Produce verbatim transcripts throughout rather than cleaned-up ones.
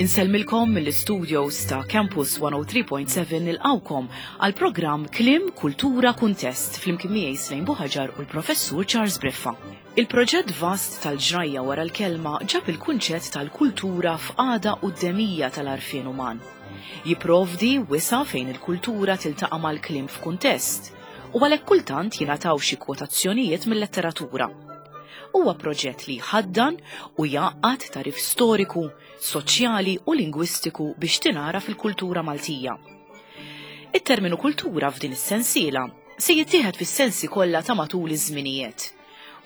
Insellmilkom mill-studios ta' Campus one oh three point seven, nilqgħukom għal programm Kliem, Kultura, Kuntest flimkien miegħi Slejn Buħaġar u l-Professur Charles Briffa. Il-proġett vast tal-ġrajja wara l-kelma ġab il-kunċett tal-kultura f'qagħda quddemija tal-għarfien uman. Jiprovdi wisa' fejn il-kultura tiltaqa' mal-kliem f'kuntest u għalhekk kultant jingħataw xi kwotazzjonijiet mill-letteratura. Huwa proġett li jħaddan u jgħaqqad tagħrif storiku, soċjali u lingwistiku biex tingħaraf il-kultura Maltija. It-terminu kultura f'din is-sensiela se jittieħed fis-sensi kollha ta' matul iż-żminijiet.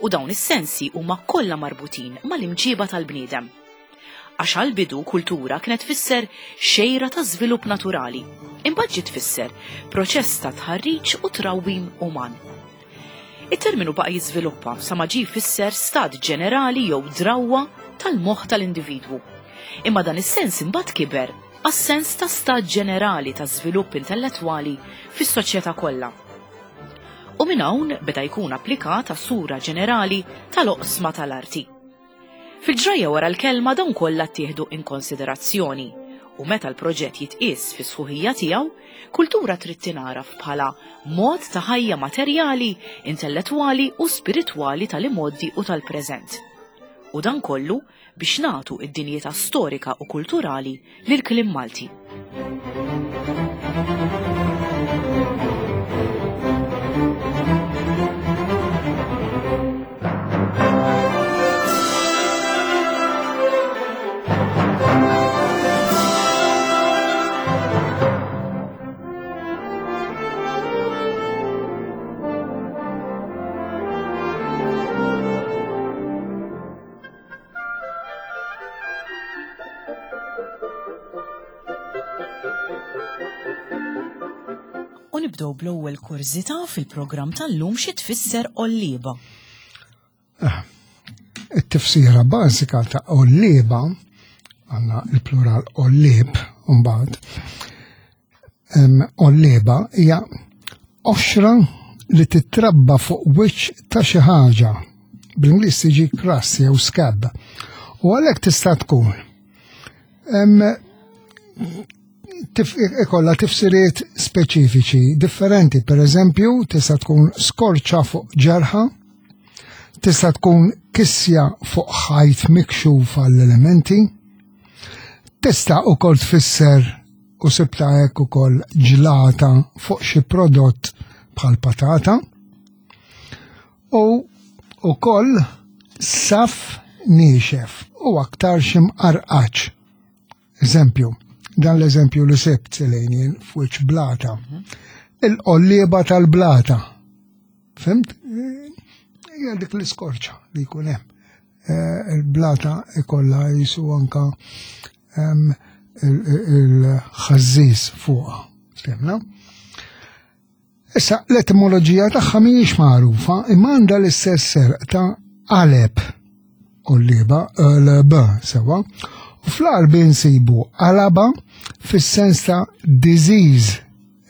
U dawn is-sensi huma kollha marbutin mal-imġiba tal-bniedem. Għax għal-bidu kultura kienet tfisser xejra ta' żvilupp naturali, imbagħad ġiet tfisser proċess ta' tħarriġ u trawwim uman. Il-terminu baqa' jiżviluppa sa ma ġie jfisser stat ġenerali jew drawwa tal-moħħ tal-individwu. Imma dan is-sens imbagħad kiber għas-sens ta' stat ġenerali ta' żvilupp intellettwali fis-soċjetà kollha. U minn hawn beda jkun applikat għas-sura ġenerali tal-oqsma tal-arti. Fil-ġrajja wara l-kelma dawn kollha ttieħdu in konsiderazzjoni u meta l-proġett jitqies fi sħuħija tiegħu, kultura trid tingħaraf bħala mod ta' ħajja materjali, intellettwali u spiritwali tal-imgħoddi u tal-preżent. U dan kollu biex nagħtu id-dinjità storika u kulturali lil kliem Malti. U nibdew bl-ewwel kurżità fil-programm tal-lum: xi tfisser ollieba? It-tifsira bażika ta' ollieba, għandna il-plural ollib, mbagħad, ollieba hija qoxra li titrabba fuq wiċċ ta' xi ħaġa. Bl-Ingliż tiġi crust jew scab. U għalhekk tista' tkun em, tif, ikolla tifsiriet speċifiċi differenti. Per eżempju, tista' tkun skorċa fuq ġerħa, tista' tkun kisja fuq ħajt mikxuf għall-elementi, tista' ukoll tfisser, u sibta hekk ukoll, ġlata fuq xi prodott bħal patata u ukoll saf niexef u aktar xi mqarqaċ. Eżempju, dan l-eżempju li sibt selejnien fuq blata. Il-qollieba tal-blata. Fhimt? Hija dik l-iskorċa li jkun hemm. Eh, Il-blata ikolla jisu anka em, il-ħażiż fuqha. Fhimna? Issa, l-etimoloġija tagħha mhijiex magħrufa, imma għandha l-istess serq ta' qaleb olliba, l-b sewa. U fl-Għarbi nsibu qalaba fis-sens ta' disease.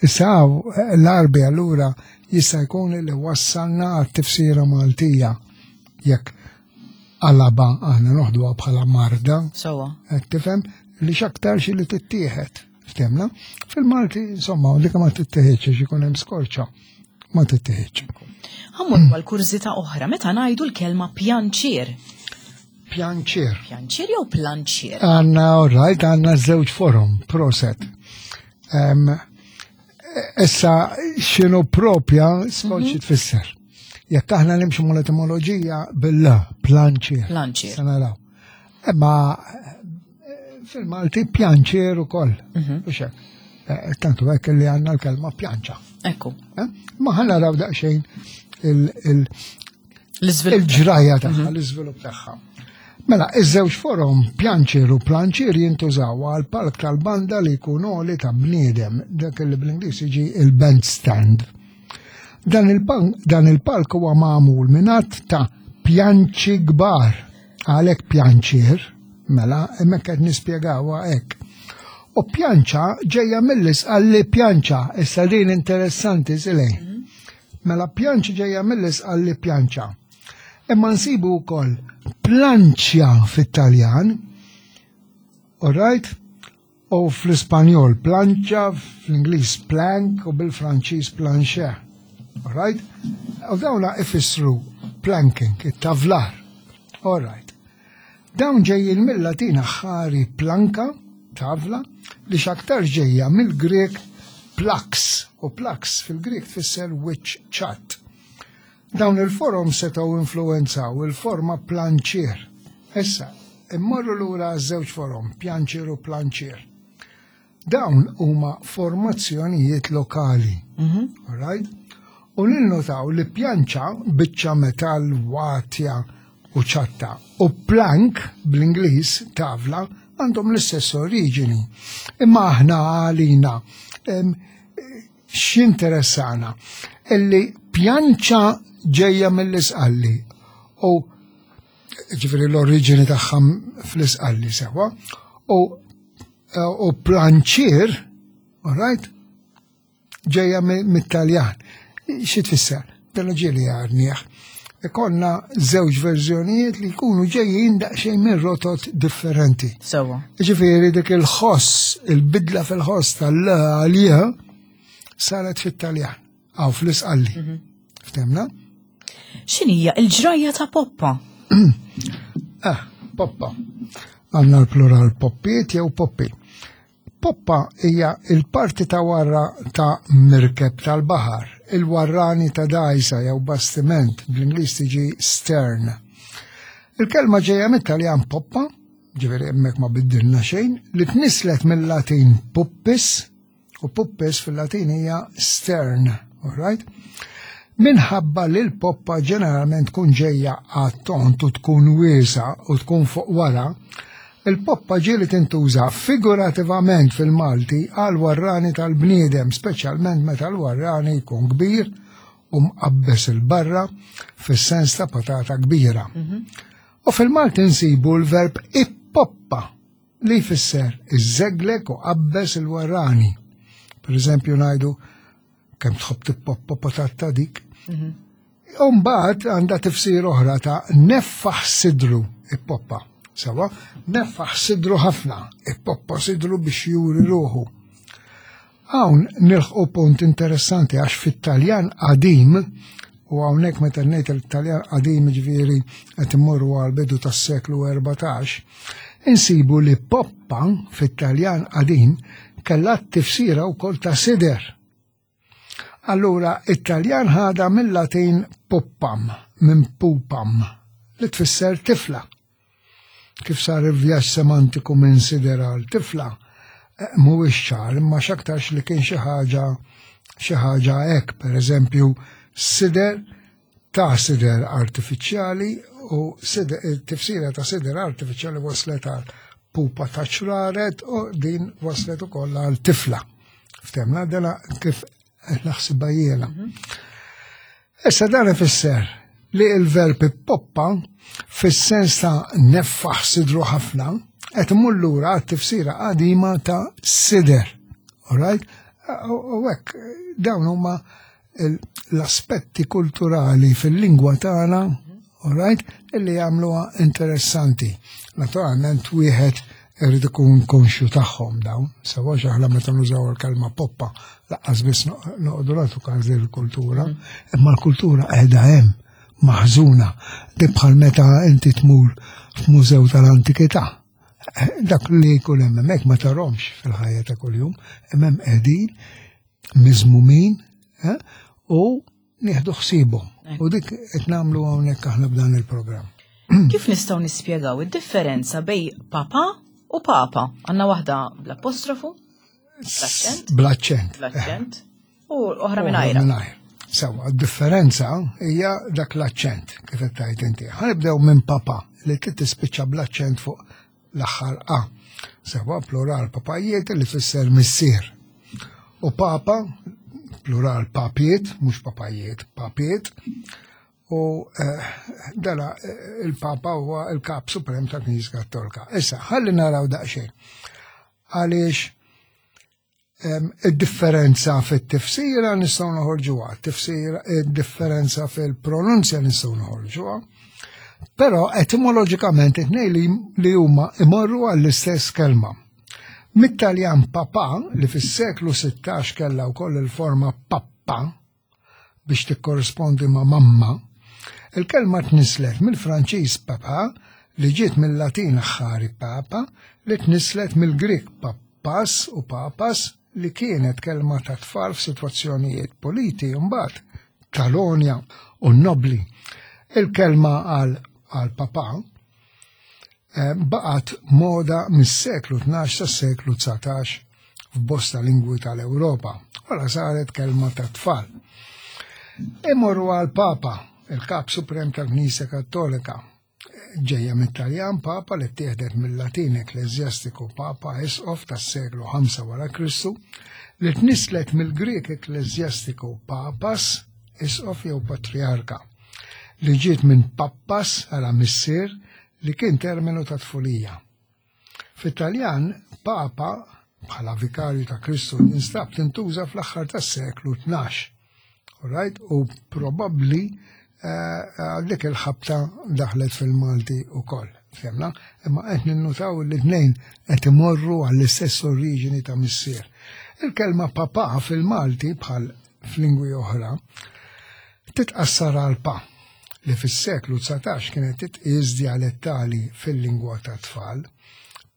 Issa l-Għarbi allura jista' jkun li wassalna għat-tifsira Maltija jekk qalaba aħna noħduha bħala marda. Sewa. Qed tifhem li x'aktarx li tittieħed. Ftemna? Fil-Malti, insomma, dik ma tittieħedx għax ikun hemm skorċa. Ma tittieħedx. Ħa mmur għal kurżità oħra meta ngħidu l-kelma pjanċier. Pjanċier. Pjanċier jew planċier? Għandna, all right, għandna żewġ forom, proset. Um, issa, x'inhu propja skont xi tfisser. Jekk aħna nimxu mal-etimoloġija bil-la, planċier. Planċier. Se naraw. Imma eh, fil-Malti pjanċier ukoll. U xek. Eh, Tantu hekk li għandna l-kelma pjanċa. Ekku. Eh? Ma ħa naraw daqsxejn il- il- L-iżvilupp. il-ġraja tagħha, l-iżvilupp tagħha. Mela, iż-żewġ forom pjanċier u planċier jintużaw għal palk tal-banda li jkun għoli ta' bniedem, dak li bl-Ingliż jiġi il-bandstand. Dan il-bank- dan il-palk huwa magħmul minn għadd ta' pjanċi kbar, għalhekk pjanċier, mela, hemmhekk qed nispjegawha hekk. U pjanċa ġejja mill-Isqalli pjanċa, issa din interessanti, silej. Mela pjanċa ġejja mill-Isqalli pjanċa. Imma nsibu wkoll planċja fit-Taljan All right? U fl-Ispanjol plancha, fl-Ingliż plank u bil-Franċiż plancher. All right? U dawna ifissru planking, it-tavlar. All right. Dawn ġejjin mill-Latin aħħari planka, tavla, li x'aktar ġejja mill-Grek plax, u plax fil-Grek tfisser wiċċ ċatt. Dawn il-forom setgħu influenzaw il-forma planċier. Issa, immorru lura żewġ forom, pjanċier u planċier. Dawn huma formazzjonijiet lokali. All right? U ninnotaw li pjanċa biċċa metall watja u ċatta u plank bl-Ingliż tavla għandhom l-istess oriġini. Imma aħna għalina em, x'interessana illi pjanċa ġejja mill-Isqalli u ġifieri l-oriġini tagħha fl-Isqalli sewa u u planċier, all right, ġejja mi- mit-Taljan. Xi tfisser? Dan ġieli għarnieħ. Ikollna żewġ verżjonijiet li jkunu ġejjin daqsxejn minn rotot differenti. Sewa. Ġifieri dik il-ħoss, il-bidla fil-ħoss tal-għalija saret fit-Taljan, għaw fl-Isqalli. Ftemna? X'inhija il-ġrajja ta' Poppa? Ah, poppa. Għandna l-plural poppiet jew poppi. Poppa hija il-parti ta' wara ta' mirkeb tal-baħar, il-warrani ta' dajsa jew bastiment, bl-Ingliż tiġi stern. Il-kelma ġejja mit-Taljan poppa, ġifieri hemmhekk ma biddilna xejn, li tnislet mill-Latin puppis, u puppis fil-Latin hija stern, all right? Minħabba li l-poppa ġeneralment tkun ġejja għat-tont u tkun wiesa u tkun fuq wara, il-poppa ġieli tintuża figurativament fil-Malti għal warrani tal-bniedem, speċjalment meta l-warrani jkun kbir u mqabbes il-barra fis-sens ta' patata kbira. U fil-Malti nsibu l-verb ippoppa li jfisser iżeglek u qabbes il-warrani. Per eżempju ngħidu kemm tħobb tippoppa patata dik. Umbagħad għandha tifsir oħra ta' neffaħ sidru ippoppa. Sewa, neffaħ sidru ħafna, ippoppa sidru biex juri ruħu. Hawn nilħqu punt interessanti għax fit-Taljan qadim, u hawnhekk meta ngħid il-Taljan qadim ġifieri qed immorru għal bidu tas-seklu erbatax, insibu li poppa fit-Taljan qadim kellha tifsira wkoll ta' sider. Allura, it-Taljan ħada mill-Latin poppam, minn pupam, li tfisser tifla. Kif sar il-vjaġġ semantiku minn sider għal tifla, eh, mhuwiex ċar, imma x'aktarx li kien xi ħaġa xi ħaġa hekk, per eżempju, sider ta' sider artifiċjali u sider, il-tifsira ta' sider artifiċjali waslet għal pupa ta' ċraret u din waslet ukoll għal tifla. Ftemna dela kif naħsibha jiena. Issa dan ifisser li il-verb poppa fis-sens ta' neffaħ sidru ħafna qed imur lura għat-tifsira qadima ta' sider. All right? U hekk dawn huma l-aspetti kulturali fil-lingwa tagħna, all right, illi jagħmluha interessanti. Naturalment wieħed irid ikun konxju tagħhom dawn, sewa aħna meta nużaw il-kelma poppa lanqas biss noqogħdu nagħtu każ il-kultura, imma l-kultura qiegħda hemm maħżuna, dik bħal meta inti tmur f'mużew tal-antikità. Dak li jkun hemm hemmhekk ma tarhomx fil-ħajja ta' kuljum, hemm hemm qegħdin miżmumin eh, u nieħdu ħsiebhom. U dik qed nagħmlu hawnhekk aħna b'dan il-programm. Kif nistgħu nispjegaw id-differenza bejn papa u papa? Għandna waħda bl-apostrofu, bl-aċċent, Bl-aċċent. bl-aċċent, u oħra mingħajra. Mingħajr. Sewa, differenza hija dak l-aċċent, kif qed tgħid inti. Ħa nibdew minn papa li trid tispiċċa bl-aċċent fuq l-aħħar A. Sewa, plural papajiet li fisser missier. U papa, plural papiet, mhux papajiet, papiet. U eh, dala eh, il-papa huwa il-kap suprem ta' Knisja Kattolika. Issa, ħalli naraw daqsxejn. Għaliex em, id-differenza fit-tifsira nistgħu noħorġuha, tifsira id-differenza fil-pronunzja nistgħu noħorġuha. Però etimoloġikament it-tnejn li, li huma imorru għall-istess kelma. Mit-Taljan papà, li fis-seklu sittax kellha wkoll il-forma pappa biex tikkorrispondi ma' mamma, il-kelma tnislet mill-Franċiż papa, li ġiet mill-Latin aħħari papa, li tnislet mill-Grik pappas u papas, li kienet kelma ta' tfal f'sitwazzjonijiet politi mbagħad tal-onja u nobli. Il-kelma għal għal papà eh, baqgħet moda mis-seklu tnax sas-seklu dsatax f'bosta lingwi tal-Ewropa, wara saret kelma ta' tfal. Imorru għal papa, il-kap suprem tal-Knisja Kattolika, ġejja mit-Taljan papa li ttieħdet mill-Latin ekkleżjastiku papa, isqof tas-seklu ħamsa wara Kristu, li tnislet mill-Grek ekkleżjastiku papas, isqof jew patriarka, li ġiet minn pappas għala missier, li kien terminu ta' tfulija. Fit-Taljan, papa bħala vikarju ta' Kristu instab tintuża fl-aħħar tas-seklu tnax. Alright? U probabbli għal dik il-ħabta daħlet fil-Malti u koll. Femna? Imma qed ninnutaw li tnejn qed imorru għall-istess oriġini ta' missier. Il-kelma papa fil-Malti bħal f'lingwi oħra titqassar għal pa, li fis-seklu dsatax kienet titqies dialettali fil-lingwa ta' tfal,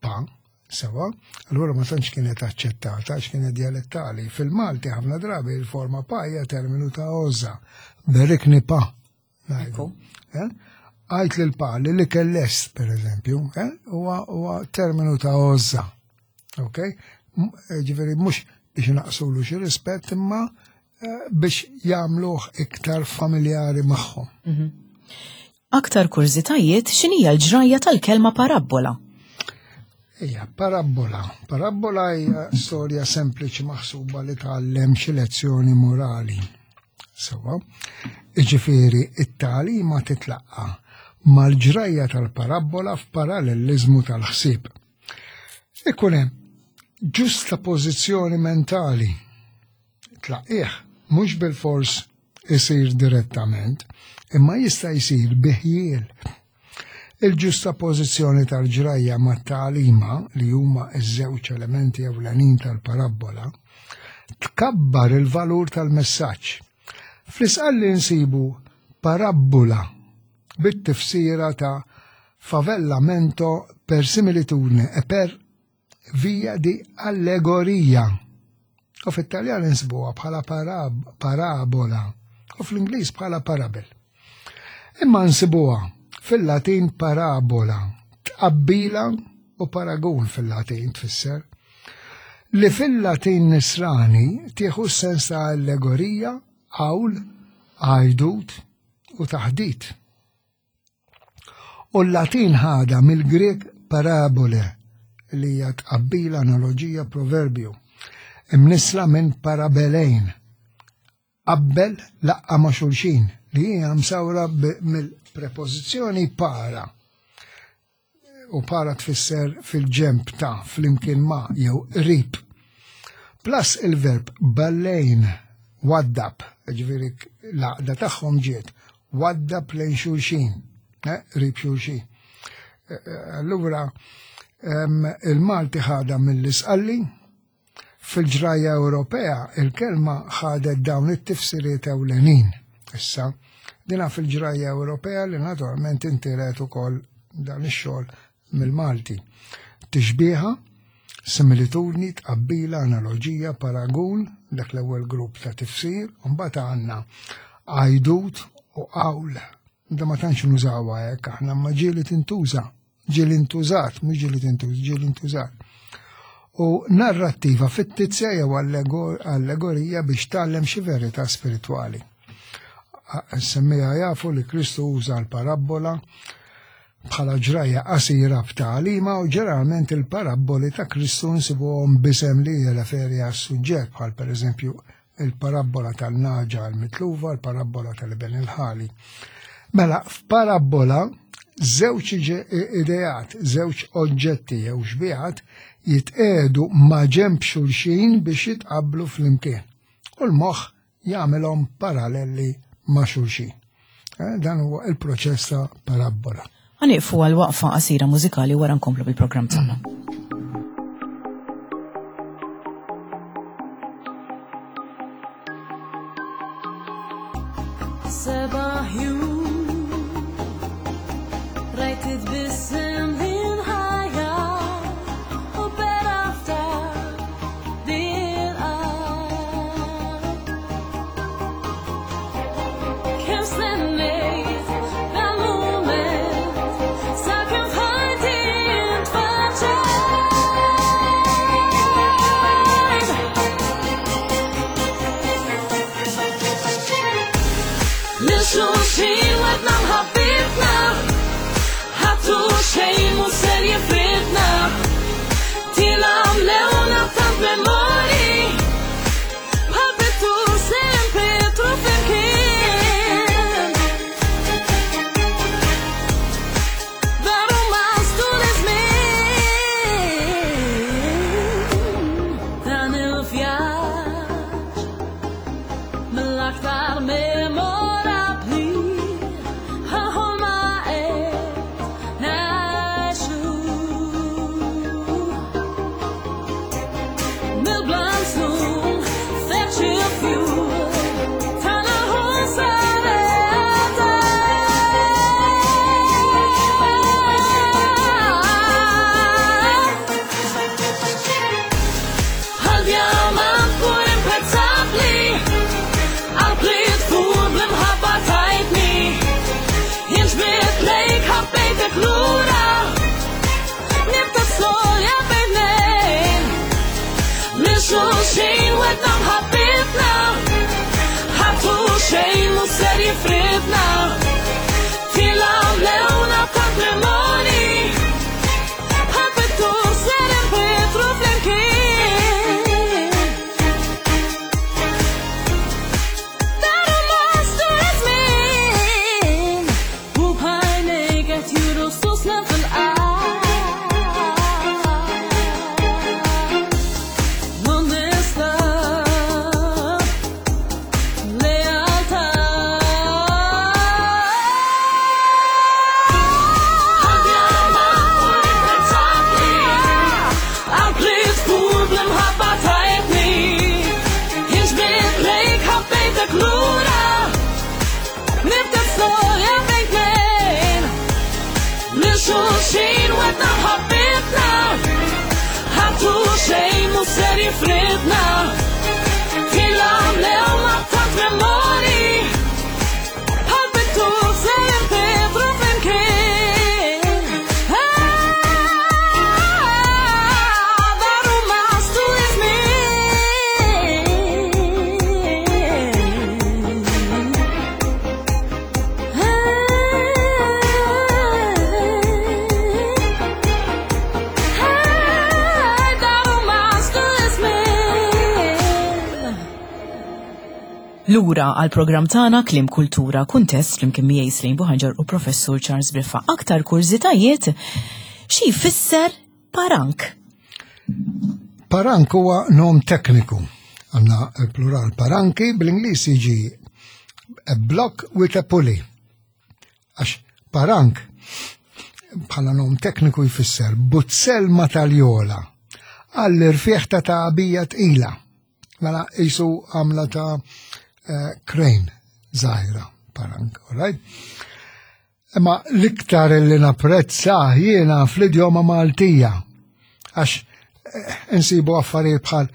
pa, sewa, allura ma tantx kienet aċċettata għax kienet dialettali. Fil-Malti ħafna drabi il-forma pa hija terminu ta' għożża. Berikni pa. Ngħidu. Eh? Għajt lil pa li li kellest, per eżempju, eh? huwa huwa terminu ta' għożża. Ok? M- Ġifieri mhux biex naqsulu xi rispett, imma eh, biex jagħmluh iktar familjari magħhom. Aktar kurżitajiet, x'inhija l-ġrajja tal-kelma parabbola? Ija, parabbola. Parabbola hija storja sempliċi maħsuba li tgħallem xi lezzjoni morali. Sewa, iġifieri it-tagħlima titlaqqa mal-ġrajja tal-parabbola f'paralleliżmu tal-ħsieb. Ikun hemm ġusta pożizzjoni mentali. Tlaqih mhux bil-fors isir direttament, imma jista' jsir biħjiel. Il-ġusta pożizzjoni tal-ġrajja mat-tagħlima, li huma ż-żewġ elementi ewlenin tal-parabbola, tkabbar il-valur tal-messaġġ. Fl-Isqalli nsibu parabbola bit-tifsira ta' favellamento per similitudine e per via di allegoria. U fit-Taljan insibuha bħala parab-, parabola u fl-Ingliż bħala parable. Imma nsibuha fil-Latin parabola, tqabbila u paragun fil-Latin tfisser, li fil-Latin nisrani tieħu s-sens ta' allegorija, qawl, għajdut u taħdit. U l-Latin ħada mill-Grek parabole, li hija tqabbila, analogija, proverbju, imnisla minn parabelejn, qabbel, laqqa ma' xulxin, li hija msawra b-, mill-prepożizzjoni para. U para tfisser fil-ġemp ta', flimkien ma', jew qrib. Plus il-verb ballejn, waddab, ġifieri l-għaqda tagħhom ġiet, waddab lejn xulxin, eh, qrib xulxin. Eh, eh, allura, em, il-Malti ħada mill-Isqalli, fil-ġrajja Ewropea il-kelma ħadet dawn it-tifsiriet ewlenin. Issa, dina fil-ġrajja Ewropea li naturalment intiret ukoll dan ix-xogħol mill-Malti. Tixbieha, similitudni, tqabbila, analogija, paragun, dak l-ewwel grupp ta' tifsir, u mbagħad għandna għajdut u qawl. Da ma tantx nużawha hekk aħna, ma ġieli tintuża, ġieli ntużat, mhux ġieli tintuża, ġieli ntużat. U narrattiva fittizja jew allegor-, allegorija biex tgħallem xi verità spiritwali. Semmija jafu li Kristu uża l-parabbola bħala ġrajja qasira b'tagħlima, u ġeneralment il-parabboli ta' Kristu nsibuhom b'isem li jirreferi għas-suġġett, bħal pereżempju il-parabbola tal-naġa għal-mitlufa, il-parabbola tal-iben il-ħali. Mela, f'parabbola żewġ iġe-, ideat, żewġ oġġetti jew xbihat jitqegħdu ma' ġenb xulxin biex jitqabblu flimkien. U l-moħħ jagħmilhom paralleli ma' xulxin. Eh, dan huwa il-proċess ta' parabola. Ħa nieqfu għal waqfa qasira mużikali, wara nkomplu bil-programm tagħna. Seba' ħjut rajt titbissem din ħajja u berafta bil-qalb. Kemm stennejt dal-mument sakemm f'ħajti ntfaċċajt. Lil xulxin wegħedna mħabbitna, ħadd u xejn mhu ser jifridna. Tila mlewna tant memori, bħal sempre tu flimkien. Daru mastu l-żmien, dan il-vjaġġ mill-aktar memorabbli, ħolma qed ngħixu. Mill-blanzun feċ il-fjur tagħna hu sar realtà. Bħal djamant pur imprezzabbli, qalb li tfur bl-imħabba tajtni. Jien ġbidt lejk, ħabbejtek lura, nibda storja bejn tnejn. Lil xulxin wegħedna mħabbitna, ħadd u xejn mhu ser jifridna. Tila mlewna tant memori, bħal pittur ser inpittru flimkien. Daru mastu iż-żmien, u b'għajnejk qed juru susna fil-qalb. L-onestà, lealtà. Bħal djamant pur imprezzabbli, qalb li tfur bl-imħabba tajtni. Jien ġbidt lejk, ħabbejtek lura, nibda storja bejn tnejn. Lil xulxin wegħedna mħabbitna, ħadd u xejn mhu ser jifridna. Tila mlewna tant memori, bħal pittur ser inpittru flimkien. Ah, daru mastu iż-żmien. Ah, daru mastu iż-żmien. Lura għal programm tagħna Kliem, Kultura, Kuntest, flimkien miegħi Slejn Buħaġar u Professur Charles Briffa. Aktar kurżitajiet: xi jfisser parank? Parank huwa nom tekniku. Għandna il-plural paranki, bl-Ingliż jiġi a block with a pulley. Għax parank bħala nom tekniku jfisser buzzell ma taljola għall-irfieħ ta' tagħbija tqila. Mela jisu għamla ta' eh, crane żgħira parank, all right? Imma l-iktar li napprezza jiena fl-idjoma Maltija, għax eh, insibu affarijiet bħal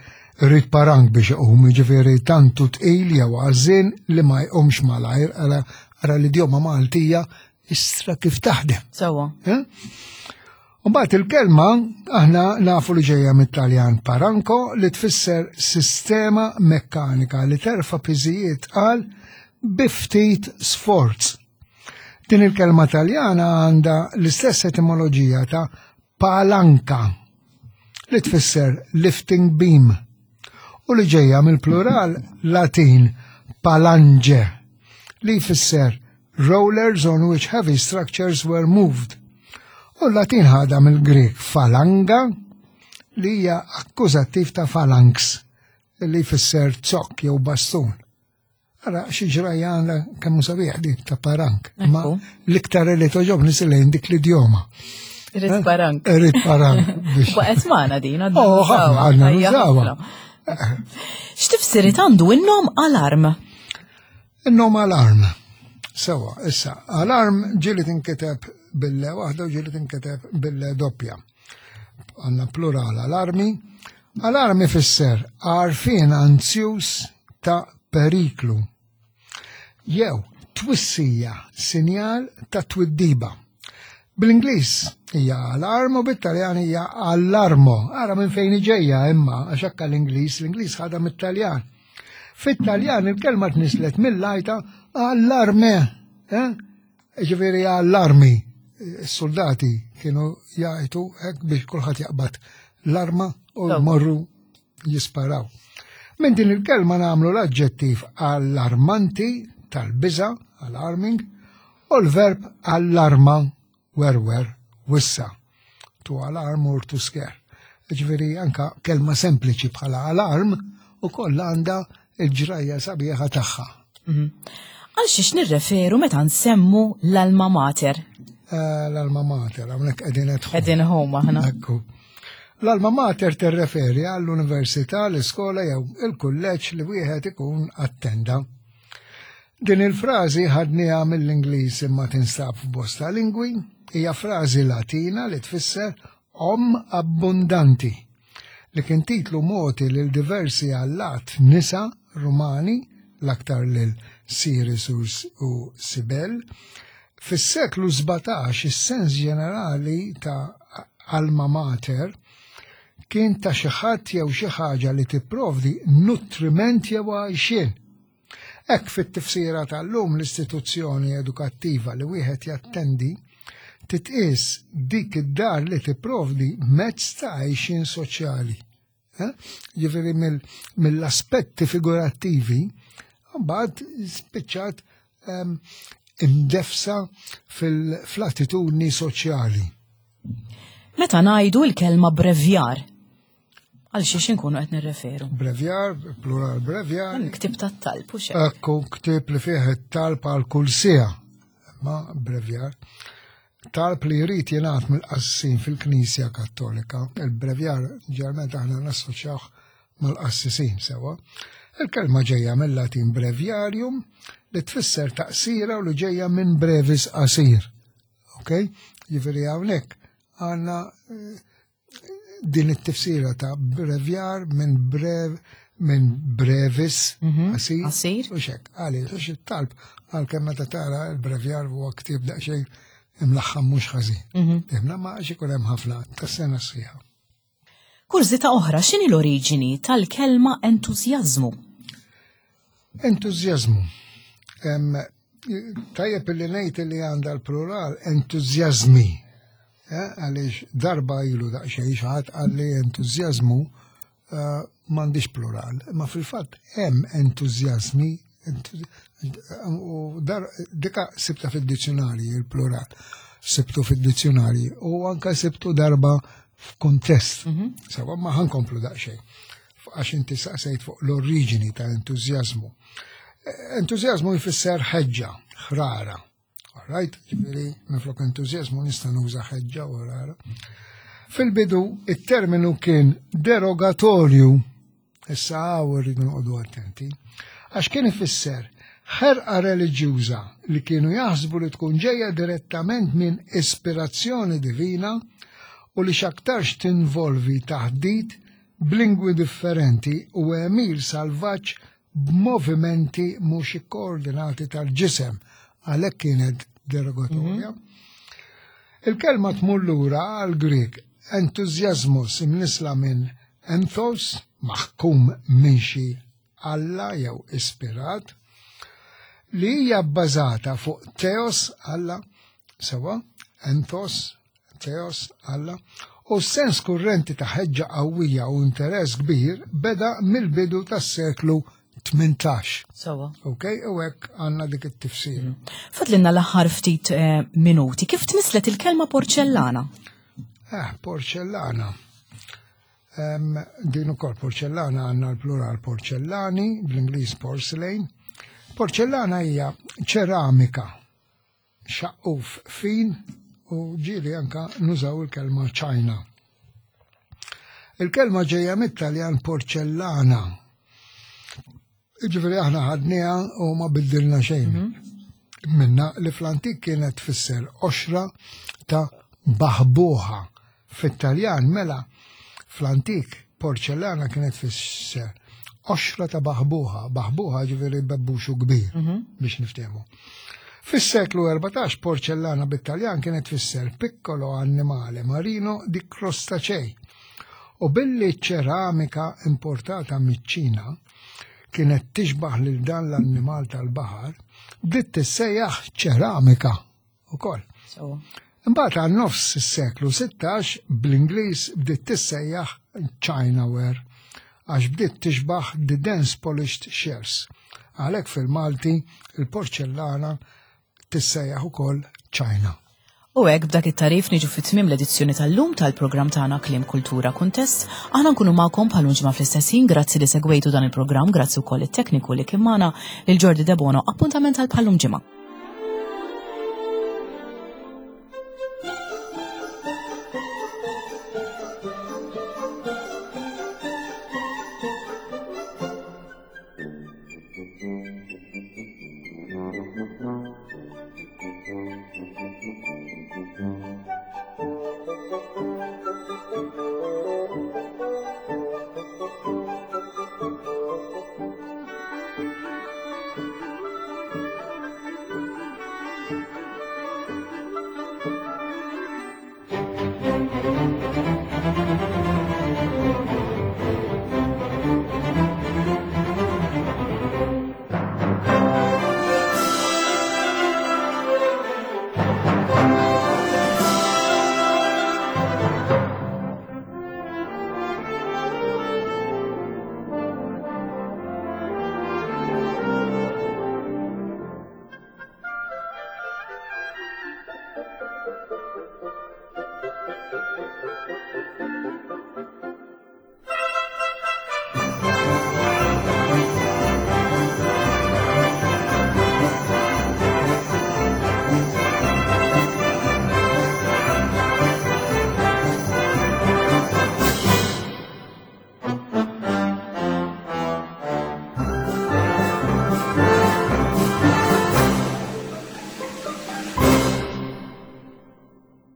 "irid parank biex iqum", ġifieri tantu tqil jew għażin li ma jqumx malajr. Ara, ara l-idjoma Maltija istra kif taħdem. Sewwa. Eh? Mbagħad il-kelma aħna nafu li ġejja mit-Taljan paranco, li tfisser sistema mekkanika li terfa' piżijiet tqal bi ftit sforz. Din il-kelma Taljana għandha l-istess etimoloġija ta' palanca, li tfisser lifting beam, u li ġejja mill-plural Latin palange, li jfisser rollers on which heavy structures were moved. U l-Latin ħada mill-Grek falanga, li hija akkużattiv ta' phalanx, li jfisser zokk jew bastun. Ara, xi ġrajja għandha kemm sabiħ dik ta' parank. Ma l-iktar li togħġobni lejn dik l-idjoma. Irrid eh? parank. Irrid parank. Waqgħet magħna din. Oh, ħafna għadna nużawha. X'tifsiriet għandu in-nom alarm? In-nom alarm. Sewa, issa, alarm ġieli tinkiteb bil-L waħda u ġieli tinkiteb bil-L doppja. Għandna plural alarmi. Alarmi fisser għarfien anzjuż ta' periklu. Jew twissija, sinjal ta' twiddiba. Bl-Ingliż hija alarm u bit-Taljan hija allarmo. Ara minn fejn ġejja imma għax hekk l-Ingliż, l-Ingliż ħadha mit-Taljan. Fit-Taljan il-kelma tnislet mill-għajta allarme. Eh? Ġifieri allarmi. Is-soldati kienu jgħajtu hekk biex kulħadd jaqbad l-arma u jmorru jisparaw. Minn din il-kelma nagħmlu l-aġġettiv allarmanti tal-biża, alarming, u l-verb allarma, werwer, wissa. To alarm or to scare. Ġifieri anka kelma sempliċi bħala alarm u kollha għandha il-ġrajja sabiħa tagħha. Mhm. Għal xiex nirreferu meta nsemmu l-alma mater? Eh, l-alma mater, hawnhekk qegħdin Qegħdin home aħna. Ekku. L-alma mater tirreferi għall-università, l-iskola jew il-kulleġġ li wieħed ikun attenda. Din il-frażi ħadniha mill-Ingliż imma tinstab f'bosta lingwi, hija frażi Latina li tfisser om abbundanti, li kien titlu mogħti lil diversi allat nisa Rumani, l-aktar lil Ceres u Sibel. Fis-seklu sbatax is-sens ġenerali ta' alma mater kien ta' xi ħadd jew xi ħaġa li tipprovdi nutriment jew għajxien. Hekk fit-tifsira tal-lum l-istituzzjoni edukattiva li wieħed jattendi titqies dik id-dar li tipprovdi mezz ta' għajxien soċjali. Eh? Ġifieri mill-aspetti figurattivi, mbagħad spiċċat ehm, imdefsa fil-attitudni soċjali. Meta ngħidu l-kelma brevjar, għal xiex inkunu qed nirreferu? Brevjar, plural brevjar. Ktieb tat-talb u xejn. Ekku, ktieb li fih it-talb għal kull siegħa. Ma brevjar. Talb li jrid jingħad mill-qassisin fil-Knisja Kattolika. Il-brevjar ġeneralment aħna nassoċjawh mal-qassisin sewa. Il-kelma ġejja mill-Latin breviarium li tfisser taqsira u li ġejja minn brevis qasir. Ok? Jiġifieri hawnhekk għandna eh, din it-tifsira ta' brevjar minn brev minn brevis mhm, qasir. Qasir. U xek, għaliex, għax it-talb għalkemm meta tara il-brevjar huwa ktieb daqsxejn imlaħħam mhux ħażin. Mhm. Imma ma għax ikun hemm ħafna tas-sena sħiħa. Kurżità oħra, x'inhi l-oriġini tal-kelma entużjażmu? Entużjażmu. Tajjeb li ngħid li għandha l-plural entużjażmi. Eh, għaliex darba ilu daqsxejn xi ħadd qalli entużjażmu eh, m'għandix plural, ma fil-fatt hemm entużjażmi u dar dika sibta fid-dizzjonarji il-plural. Sibtu fid-dizzjonarji u anka sibtu darba f'kuntest. Mhm. Sewa ma ħa nkomplu daqsxejn. Għax inti saqsejt fuq l-oriġini ta' entużjażmu. Entużjażmu jfisser ħeġġa, ħrara. Right? Ġifieri, minflok entużjażmu nista' nuża ħeġġa u ħrara. Fil-bidu, it-terminu kien derogatorju, issa hawn irridu noqogħdu attenti, għax kien ifisser ħerqa reliġjuża li kienu jaħsbu li tkun ġejja direttament minn ispirazzjoni divina u li x'aktarx tinvolvi taħdit b'lingwi differenti u għemil salvaġġ b'movimenti mhux ikkoordinati tal-ġisem, għalhekk kienet derogatorja. Mhm. Il-kelma tmur lura għal Grieg entużjażmus imnisla minn enthos, maħkum minn xi Alla jew ispirat, li hija bbażata fuq theos Alla, sewa, enthos, theos Alla, u sens kurrenti ta' ħeġġa qawwija u interess kbir beda mill-bidu tas-seklu tmintax. Sewa. Ok, u hekk għandna dik it-tifsira. Mm. Fadlinna l-aħħar ftit eh, minuti. Kif tnislet il-kelma porċellana? Eh, porċellana. Um, din ukoll porċellana għandna l-plural porċellani, bl-Ingliż porcelain. Porċellana hija ċeramika, xaqquf fin u ġieli anka nużaw il-kelma China. Il-kelma ġejja mit-Taljan porcellana. Ġifieri aħna ħadniha u ma biddilna xejn. Minna li fl-antik kienet tfisser qoxra ta' baħbuħa. Fit-Taljan mela fl-antik porcellana kienet tfisser qoxra ta' baħbuħa, baħbuħa ġifieri bebbuxu kbir biex niftehmu. Fis-seklu erbatax porcellana bit-Taljan kienet tfisser piccolo animale marino di crostacei. U billi ċeramika importata miċ-Ċina kienet tixbaħ lil dan l-annimal tal-baħar, bdiet tissejjaħ ċeramika ukoll. So, Imbagħad għal nofs is-seklu sittax bl-Ingliż bdiet tissejjaħ Chinaware għax bdiet tixbaħ the dense polished shells. Għalhekk fil-Malti il-porċellana tissejjaħ ukoll China. U hekk b'dak it-tagħrif niġu fit-tmiem l-edizzjoni tal-lum tal-programm tagħna Kliem Kultura Kuntest. Aħna nkunu magħkom bħal ġimgħa fl-istess ħin, grazzi li segwejtu dan il-programm, grazzi wkoll it-tekniku li kien magħna lil Jordi Debono. Appuntament għal bħal ġimgħa.